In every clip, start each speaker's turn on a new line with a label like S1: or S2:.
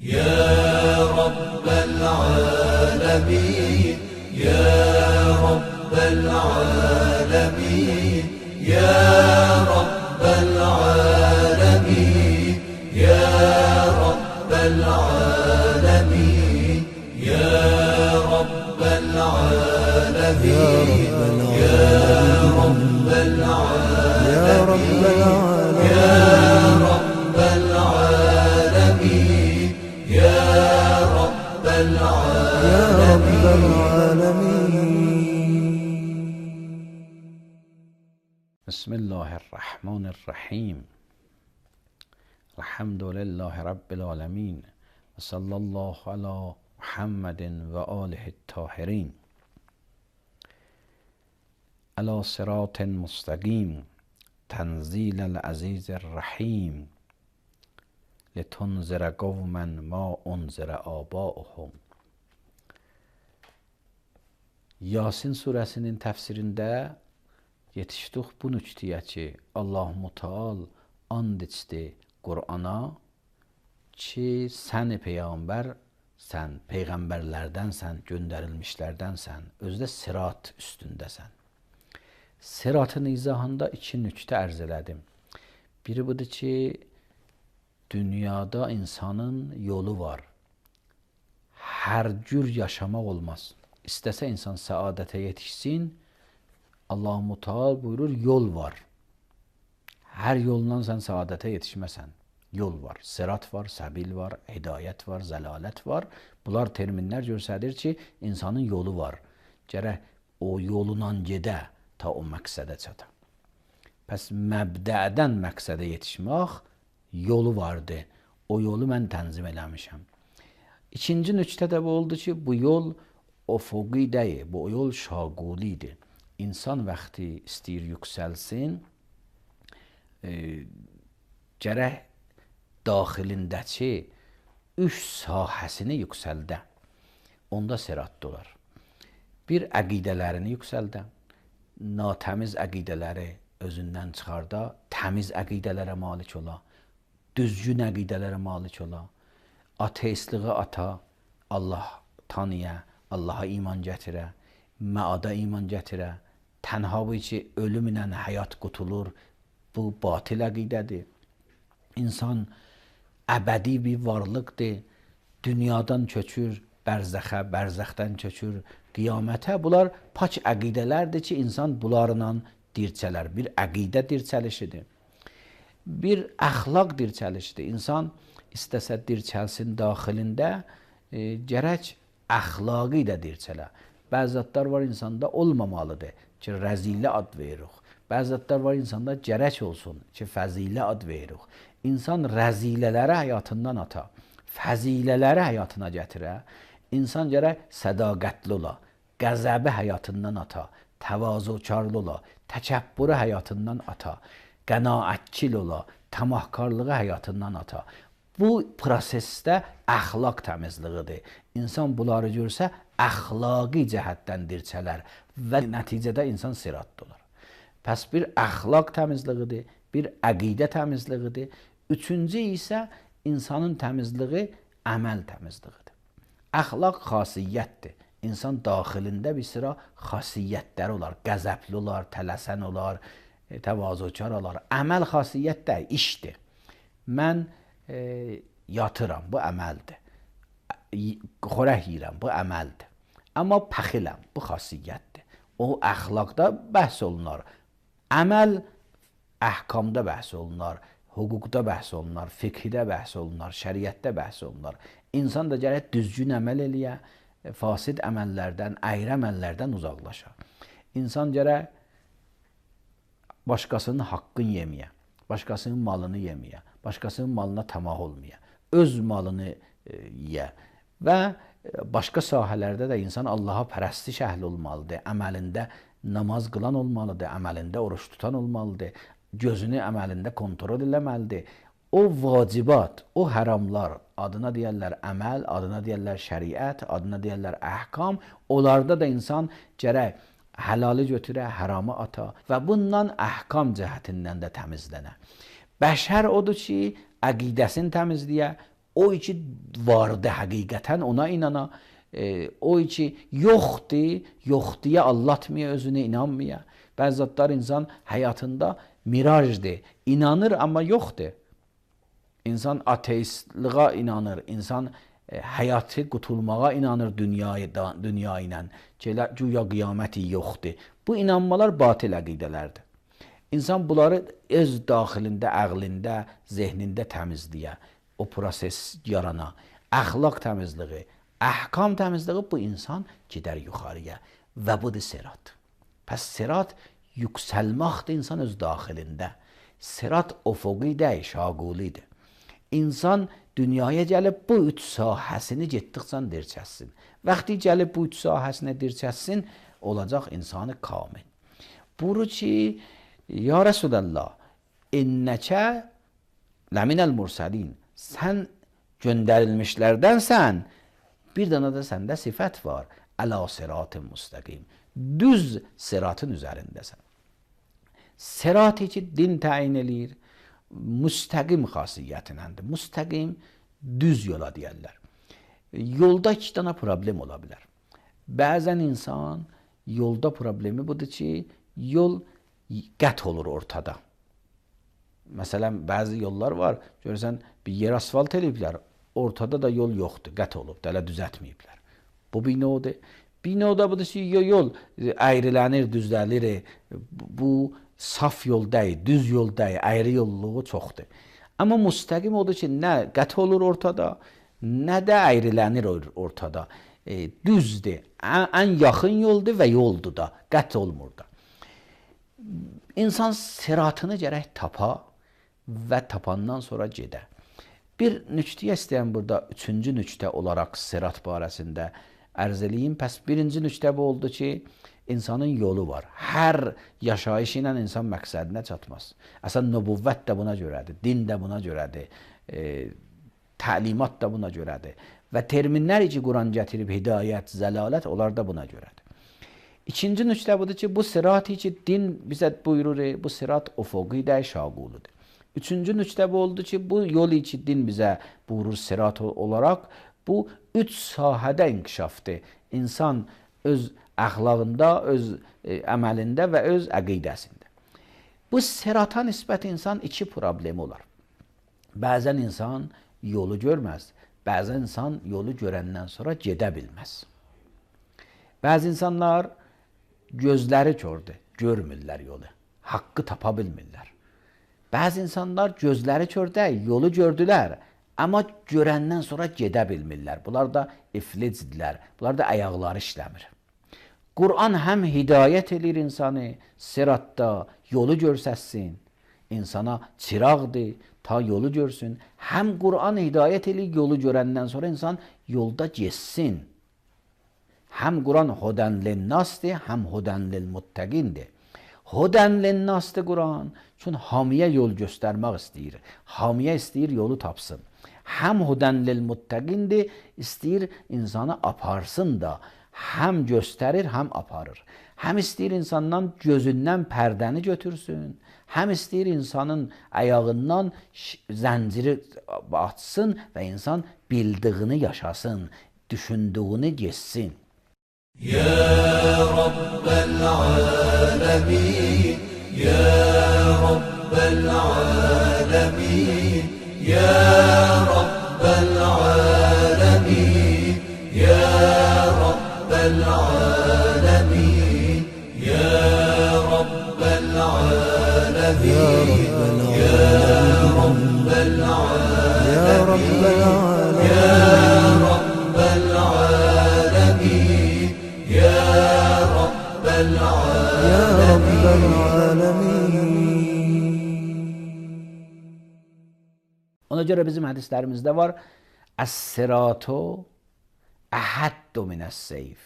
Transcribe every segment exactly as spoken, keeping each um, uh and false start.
S1: يا رب العالمين يا رب العالمين يا رب العالمين يا رب العالمين يا رب العالمين يا رب العالمين يا رب العالمين يا رب العالمين.
S2: بسم الله الرحمن الرحیم. الحمد لله رب العالمین و صلی الله علی محمد و آله الطاهرین علی صراط مستقیم تنزیل العزیز الرحیم لتنذر قوما ما انذر آباؤهم. Yasin surəsinin təfsirində yetişdik bu nüktəyə ki, Allah-u Teala and içdi Qur'ana ki, sən peyğəmbər, sən peyğəmbərlərdənsən, göndərilmişlərdənsən, özdə sirat üstündəsən. Siratın izahında iki nüktə ərz elədim. Biri budur ki, dünyada insanın yolu var. Hər cür yaşamaq olmaz. İstəsə insan səadətə yetişsin, Allah-u Teala buyurur, yol var. Hər yolla sən səadətə yetişməsən. Yol var, sirat var, səbil var, hidayət var, zəlalət var. Bunlar terminlər göstərir ki, insanın yolu var. Gərək o yolunla gedə ta o məqsədə çata. Pəs məbdədən məqsədə yetişmək yolu vardı. O yolu mən tənzim eləmişəm. İkinci nüktə də bu oldu ki, bu yol ufuqi deyil, bu yol şaqulidir. İnsan vaxtı istəyir yüksəlsin, e, gərək daxilindəki üç sahəsini yüksəldə. Onda sirat olar. Bir, əqidələrini yüksəldə. Natəmiz əqidələri özündən çıxarda, təmiz əqidələrə malik ola. Düzgün əqidələrə malik ola. Ateistliği ata, Allah tanıya, Allaha iman gətirə, məada iman gətirə. Tənha bu ki, ölümlə həyat qutulur, bu batil əqidədir. İnsan əbədi bir varlıqdır, dünyadan köçür, bərzəxə, bərzəxdən köçür, qiyamətə. Bunlar pak əqidələrdir ki, insan bunlarla dirçələr. Bir əqidə dirçəlişidir. Bir əxlaq dirçəlişdir. İnsan istəsə dirçəlsin daxilində, e, gərək əxlaqı da dirçələ. Bəzi zətlər var insanda olmamalıdır ki, rəzilə ad veririk. Bəzi zətlər var insanda gərək olsun ki, fəzilə ad veririk. İnsan rəzilələri həyatından ata, fəzilələri həyatına gətirə. İnsan gərək sədaqətli ola, qəzəbi həyatından ata, təvazukarlı ola, təkəbbürü həyatından ata, qənaətçil ola, tamahkarlığı həyatından ata. Bu prosesdə əxlaq təmizliğidir. İnsan bunları görsə, əxlaqi cəhətdən dirçələr və nəticədə insan siratda olar. Pəs bir əxlaq təmizliğidir, bir əqidə təmizliğidir. Üçüncü isə insanın təmizliği əməl təmizliğidir. Əxlaq xasiyyətdir. İnsan daxilində bir sıra xasiyyətləri olar. Qəzəbli olar, tələsən olar, təvazökar olar. Əməl xasiyyət də işdir. Mən e, yatıram, bu əməldir. Xörək yeyirəm, bu əməldir. Amma pəxiləm, bu xasiyyətdir. O əxlaqda bəhs olunar. Əməl əhkamda bəhs olunar, hüquqda bəhs olunar, fiqhidə bəhs olunar, şəriətdə bəhs olunar. İnsan da gərək düzgün əməl eləyə, fasid əməllərdən, əyri əməllərdən uzaqlaşa. İnsan gərək başqasının haqqını yeməyə, başqasının malını yeməyə, başqasının malına tamah olmaya, öz malını e, yeyə və başqa sahələrdə də insan Allaha pərəstiş əhli olmalıdır, əməlində namaz qılan olmalıdır, əməlində oruç tutan olmalıdır, gözünü əməlində kontrol eləməlidir. O vacibat, o həramlar, adına deyərlər əməl, adına deyərlər şəriət, adına deyərlər əhkam, onlarda da insan gərək həlali götürə, həramı ata və bundan əhkam cəhətindən də təmizlənə. Bəşər odur ki, əqidəsini təmizləyə, O içi vardı həqiqətən ona inana. E, o içi yoxdur, yox deyə allatmaya özünü, inanmaya. Bəzi zatlar insan həyatında mirajdır, inanır amma yoxdur. İnsan ateistlığa inanır, insan e, həyatı qutulmağa inanır dünyaya, dünya ilə. Güya qiyaməti yoxdur. Bu inanmalar batil əqidələrdir. İnsan bunları öz daxilində, əqlində, zehnində təmizləyə, o proses yarana, əxlaq təmizliyi, əhkam təmizliyi bu insan gedər yuxarıya və budur sirat. Pəs sirat yüksəlməkdir insan öz daxilində. Sirat ufuqidir, şaqulidir. İnsan dünyaya gəlib bu üç sahəsini getdikcə dirçəssin. Vaxtı gəlib bu üç sahəsini dirçəssin, olacaq insanı kamil. Buru ki, ya Resulallah, innəkə ləminəl mursalin, sən göndərilmişlərdənsən, bir dana da səndə sifət var, əla sirat-ı müstəqim, düz siratın üzərindəsən. Sirat-ı ki, din təyin eləyir, müstəqim xasiyyətinəndir. Müstəqim, düz yola deyərlər. Yolda iki dana problem ola bilər. Bəzən insan, yolda problemi budur ki, yol qət olur ortada. Məsələn, bəzi yollar var, görürsən, bir yer asfalt eləyiblər, ortada da yol yoxdur, qət olub, hələ düzətməyiblər. Bu bir növdir. Bir növdə budur ki, yol əyrilənir, düzləlir, bu saf yol deyil, düz yol deyil, əyri yolluğu çoxdur. Amma müstəqim odur ki, nə qət olur ortada, nə də əyrilənir ortada. E, düzdür, ən, ən yaxın yoldur və yoldur da, qət olmur da. İnsan siratını gərək tapa və tapandan sonra gedə. Bir nüktəyə istəyəm burada, üçüncü nüktə olaraq sirat barəsində ərz eləyim. Pəs birinci nüktə bu oldu ki, insanın yolu var. Hər yaşayış ilə insan məqsədinə çatmaz. Əsən nübüvvət də buna görədir, din də buna görədir, e, təlimat da buna görədir. Və terminlər ki, Quran gətirib, hidayət, zəlalət, onlar da buna görədir. İkinci nüktə budur ki, bu sirat-ı ki, din bizə buyurur, bu sirat ufuqidir, şaqulidir. Üçüncü nüktə bu oldu ki, bu yol ki, din bizə buyurur sirat olaraq, bu üç sahədə inkişafdır. İnsan öz əxlaqında, öz e, əməlində və öz əqidəsində. Bu sirata nisbət insan iki problemi olar. Bəzən insan yolu görməz, bəzən insan yolu görəndən sonra gedə bilməz. Bəzi insanlar gözləri kördür, görmürlər yolu, haqqı tapa bilmirlər. Bəzi insanlar gözləri kördə, yolu gördülər, amma görəndən sonra gedə bilmirlər. Bunlar da iflicdirlər, bunlar da ayaqları işləmir. Quran həm hidayət edir insanı, siratda yolu görsəsin, insana çıraqdır, ta yolu görsün. Həm Quran hidayət edir, yolu görəndən sonra insan yolda geçsin. Həm Quran hudən linnasdır, həm hudən lilmuttəqindir. Hudən linnasdır Quran, çünki hamiyə yol göstərmək istəyir. Hamiyə istəyir, yolu tapsın. Həm hudən lilmuttəqindir, istəyir insanı aparsın da, həm göstərir, həm aparır. Həm istəyir insandan gözündən pərdəni götürsün, həm istəyir insanın ayağından zənciri açsın və insan bildiyini yaşasın, düşündüyünü geçsin.
S1: Ya Rabbel alemin, Ya Rabbel alemin, Ya Rabbel alemin, Ya Rabbel alemin, Ya Rabbel alemin, Ya Rabbel alemin, Ya Rabbel alemin, Ya Rabbel alemin, Ya Rabbel alemin.
S2: Ona görə bizim hədislərimizdə var, əs-siratu əhəddu minəs-seyf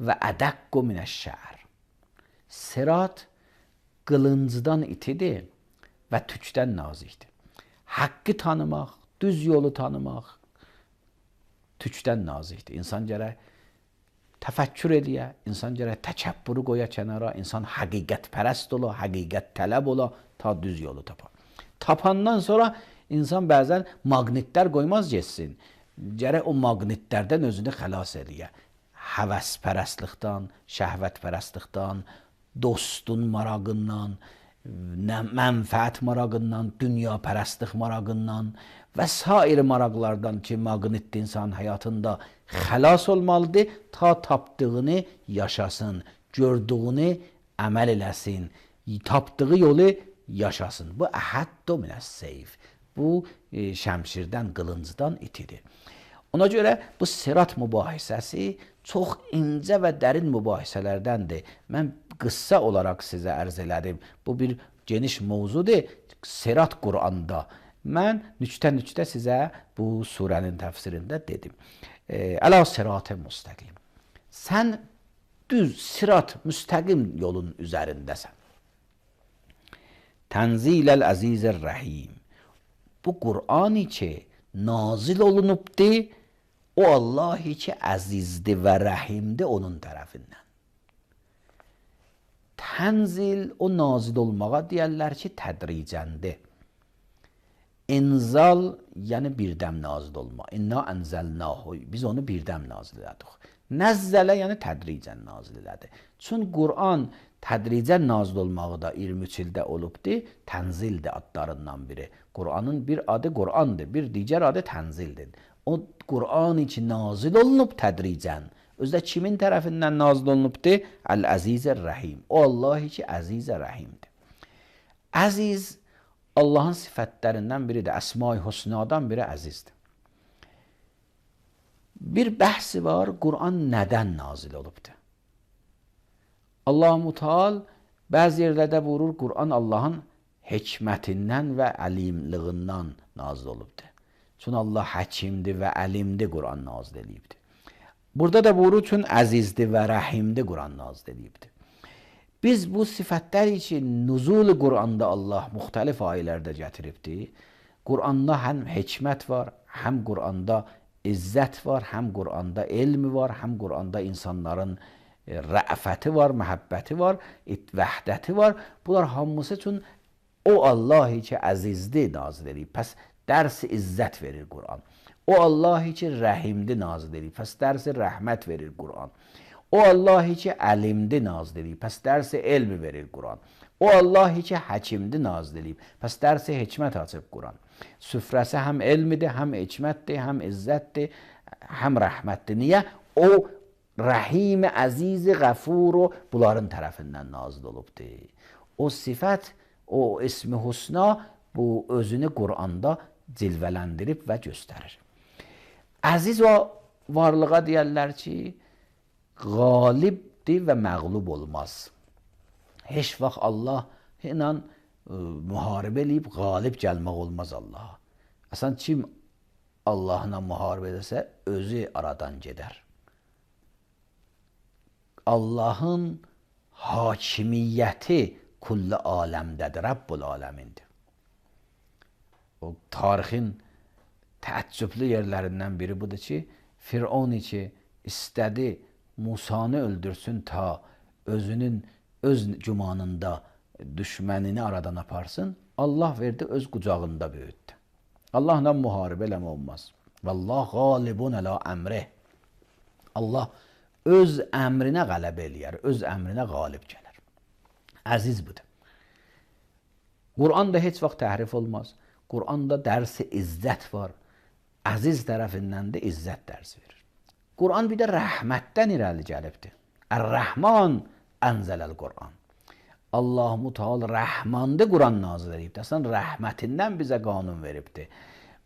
S2: və ədəqqu minəş-şər. Sirat qılıncdan itidir və tükdən nazikdir. Haqqı tanımaq, düz yolu tanımaq tükdən nazikdir. İnsan gərək təfəkkür eləyə, insan gərək təkəbbürü qoya kənara, insan həqiqət pərəst ola, həqiqət tələb ola, ta düz yolu tapa. Tapandan sonra İnsan bəzən maqnitlər qoymaz getsin. Gərək o maqnitlərdən özünü xilas eləyə. Həvəspərəstlikdən, şəhvətpərəstlikdən, dostun marağından, mənfəət marağından, dünyapərəstlik marağından və sair maraqlardan ki, maqnit insan həyatında xilas olmalıdır, ta tapdığını yaşasın, gördüyünü əməl eləsin, tapdığı yolu yaşasın. Bu əhəddu minəs-seyf. Bu e, şəmşirdən, qılıncdan itidir. Ona görə bu sirat mübahisəsi çox incə və dərin mübahisələrdəndir. Mən qıssa olaraq sizə ərz elədim. Bu bir geniş mövzudur. Sirat Quranda. Mən nüçtə-nüçtə sizə bu surənin təfsirində dedim. E, Əla sirat-ı müstəqim. Sən düz sirat, müstəqim yolun üzərindəsən. Tənziləl əzizir rəhim. Bu Qur'ani ki nazil olunubdur, o Allahi ki əzizdir və rəhimdir onun tərəfindən. Tənzil o nazil olmağa deyərlər ki tədricəndir. İnzal yəni birdəm nazil olma. İnna ənzəlnahu. Biz onu birdəm nazil elədik. Nəzzələ yəni tədricən nazil elədi. Çün Qur'an tədricən nazil olmağı da iyirmi üç ildə olubdur. Tənzildir adlarından biri. Qur'anın bir adı Qur'andır, bir digər adı tənzildir. O Qur'an ki nazil olunub tədricən. Özdə kimin tərəfindən nazil olunubdur? Əl-Əzizir Rəhim. O Allah ki əzizə rəhimdir. Əziz Allahın sifətlərindən biridir. Əsma-i Hüsnadan biri əzizdir. Bir bəhsi var, Qur'an nədən nazil olubdur? Allah-u Teala bəzi yerlərdə buyurur, Qur'an Allahın hikmətindən və əlimliğindən nazil olubdur. Çünki Allah həkimdir və əlimdir Qur'an nazil edibdir. Burada da buyurur, çünki əzizdir və rəhimdir Qur'an nazil edibdir. Biz bu sifətlər üçün nuzul Qur'anda Allah müxtəlif ayələrdə gətiribdir. Qur'anda həm hikmət var, həm Qur'anda izzət var, həm Qur'anda elmi var, həm Qur'anda insanların rəfəti var, məhəbbəti var, vəhdəti var. Bunlar hamısı üçün o Allah ki əzizdir nazil edib. Pəs dərsi izzət verir Qur'an. O Allah ki rəhimdir nazil edib. Pəs dərsi rəhmət verir Qur'an. O Allah ki əlimdir nazil edib. Pəs dərsi elmi verir Qur'an. O Allah ki həkimdir nazil edib. Pəs dərsi hikmət açıb Qur'an. Süfrəsi həm elmidir, həm hikmətdir, həm izzətdir, həm rəhmətdir. Niyə? O Rəhim, əziz, qəfur bunların tərəfindən nazil olubdur. O sifət, o ismi husna bu özünü Qur'anda cilvələndirib və göstərir. Əziz o varlığa deyərlər ki, qalibdir və məğlub olmaz. Heç vaxt Allah ilə müharibə eləyib qalib gəlmək olmaz Allaha. Əsən kim Allahla müharibə edəsə özü aradan gedər. Allahın hakimiyyəti kulli aləmdədir, Rabbul aləmindir. O tarixin təəccüblü yerlərindən biri budur ki, Firon ki istədi Musanı öldürsün ta özünün öz gümanında düşmənini aradan aparsın, Allah verdi öz qucağında böyütdü. Allahla müharibə eləmə olmaz. Vallah qalibun əla əmrih. Allah öz əmrinə qələbə eləyər, öz əmrinə qalib gələr. Əziz budur. Qur'anda heç vaxt təhrif olmaz. Qur'anda dərsi izzət var. Əziz tərəfindən də izzət dərsi verir. Qur'an bir də rəhmətdən irəli gəlibdir. Ər-Rəhman ənzələl Qur'an. Allah-u Teala rəhmandır Qur'an nazil edibdir. Əslən rəhmətindən bizə qanun veribdir.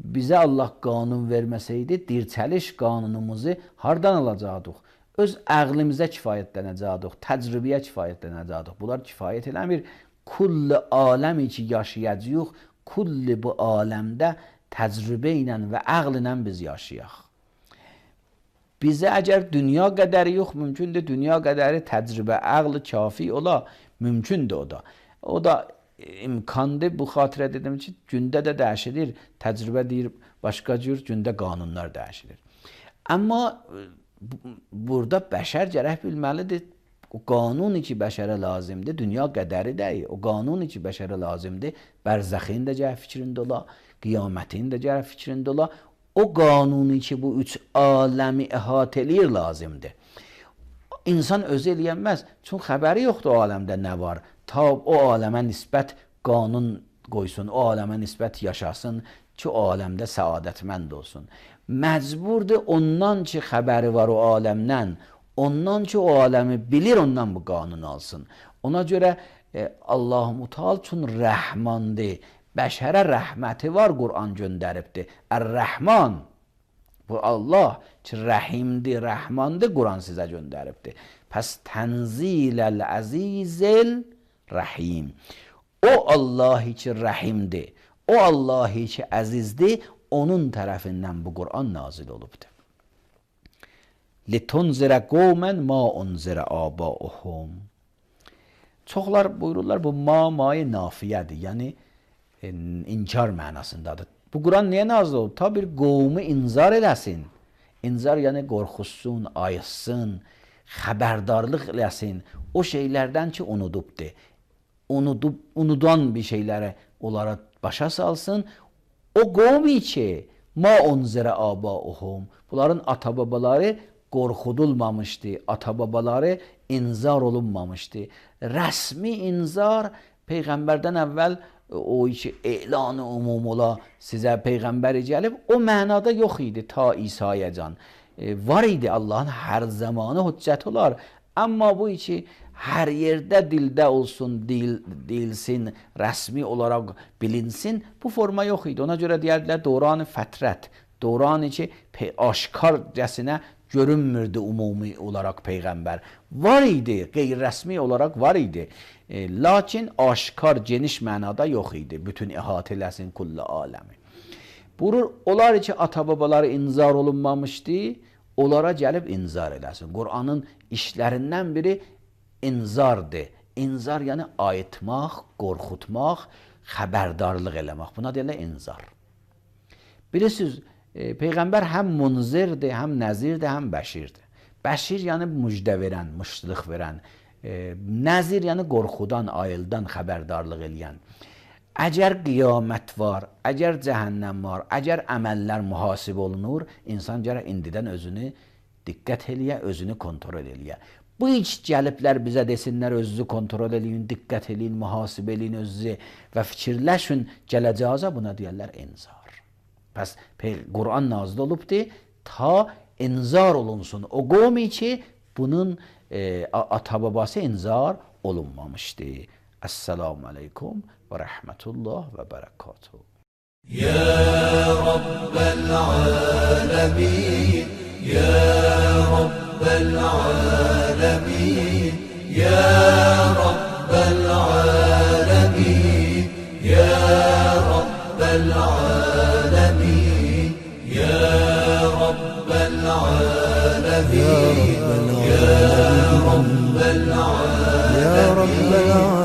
S2: Bizə Allah qanun verməsəydi, dirçəliş qanunumuzu hardan alacaqdıq? Öz əqlimizə kifayətlənəcəkdik, təcrübəyə kifayətlənəcəkdik. Bunlar kifayət eləmir. Kulli aləmi ki yaşayacağıq, kulli bu aləmdə təcrübə ilə və əql ilə biz yaşayaq. Bizə əgər dünya qədəri yox, mümkündür dünya qədəri təcrübə, əql kafi ola, mümkündür o da. O da imkandır, bu xatirə dedim ki, gündə də dəyişilir, təcrübə deyir, başqa cür gündə qanunlar dəyişilir. Amma burada bəşər gərək bilməlidir, o qanun ki bəşərə lazımdır, dünya qədəri deyil, o qanun ki bəşərə lazımdır, bərzəxin də gərək fikrində ola, Qiyamətin də gərək fikrində ola. O qanuni ki, bu üç aləmi əhatə eləyir lazımdır. İnsan özü eləyənməz, çünki xəbəri yoxdur o aləmdə nə var. Ta o aləmə nisbət qanun qoysun, o aləmə nisbət yaşasın ki, o aləmdə səadətmənd olsun. Məcburdur ondan ki, xəbəri var o aləmdən, ondan ki, o aləmi bilir, ondan bu qanun alsın. Ona görə e, Allah-u Teala üçün rəhmandır. Bəşərə rəhməti var, Qur'an göndəribdir. Ər-Rəhman, bu Allah ki, rəhimdir, rəhmandır, Qur'an sizə göndəribdir. Pəs tənziləl əzizil rəhim. O Allahi ki, rəhimdir, o Allahi ki, əzizdir, onun tərəfindən bu Qur'an nazil olubdur. لِتُنْزِرَ قَوْمًا مَا أُنْزِرَ آبَاؤُهُمْ. Çoxlar buyururlar, bu ma, ma-i nafiyədir, yəni e, inkar mənasındadır. Bu Quran niyə nazil olub? Ta bir qovmu inzar eləsin. İnzar yəni qorxusun, ayısın, xəbərdarlıq eləsin. O şeylərdən ki, unudubdur. Unudub, unudan bir şeyləri onlara başa salsın. O qovmi ki, ma unzirə abauhum. Bunların ata-babaları qorxudulmamışdı, ata-babaları inzar olunmamışdı. Rəsmi inzar Peyğəmbərdən əvvəl o ki, elan-ı umum ola sizə Peyğəmbəri gəlib, o mənada yox idi ta İsa'ya can. E, var idi Allahın hər zamanı hüccət olar. Amma bu ki, hər yerdə dildə olsun, dil, dilsin, rəsmi olaraq bilinsin, bu forma yox idi. Ona görə deyərdilər, döran-ı fətrət, döran-ı ki, aşkarcəsinə görünmürdü umumi olaraq Peyğəmbər. Var idi, qeyri-rəsmi olaraq var idi. E, lakin aşkar, geniş mənada yox idi. Bütün əhatə eləsin kulli aləmi. Buyurur, onlar ki, ata-babaları inzar olunmamışdı, onlara gəlib inzar eləsin. Qur'anın işlərindən biri inzardır. İnzar yəni ayıtmaq, qorxutmaq, xəbərdarlıq eləmək. Buna deyirlər inzar. Bilirsiniz, e, Peyğəmbər həm munzirdir, həm nəzirdir, həm bəşirdir. Bəşir yəni müjdə verən, müştülük verən. E, nəzir yəni qorxudan, ayıldan xəbərdarlıq eləyən. Əgər qiyamət var, əgər cəhənnəm var, əgər əməllər mühasib olunur, insan gərək indidən özünü diqqət eləyə, özünü kontrol eləyə. Bu iş gəliblər bizə desinlər, özünüzü kontrol eləyin, diqqət eləyin, mühasib eləyin özünüzü və fikirləşin, gələcəyə buna deyərlər inzar. Pəs Qur'an nazil olubdur, ta inzar olunsun. O qovmi ki, bunun e, ata-babası inzar olunmamışdır. Esselamu aleykum ve rahmetullah ve berekatuhu.
S1: Ya Rabbel alemin, Ya Rabbel alemin, Ya Rabbel alemin, Ya Rabbel alemin, Ya Rabbel alemin, Ya Rabbel alemin, Ya Rabbel alemin.